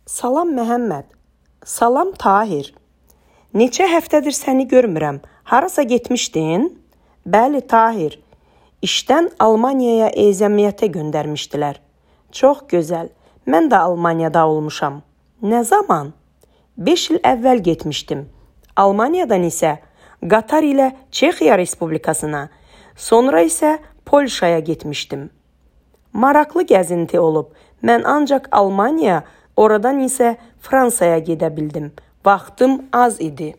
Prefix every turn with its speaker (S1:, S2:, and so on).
S1: Salam Məhəmməd. Salam Tahir. Neçə həftədir səni görmürəm. Harasa getmişdin? Bəli Tahir. İşdən Almaniyaya ezamiyyətə göndərmişdilər. Çox gözəl. Mən də Almaniyada olmuşam. Nə zaman? 5 il əvvəl getmişdim. Almaniyadan isə Qatar ilə Çexiya Respublikasına, sonra isə Polşaya getmişdim. Maraqlı gəzinti olub. Mən ancaq Almaniya, oradan isə Fransaya gedə bildim. Vaxtım az idi.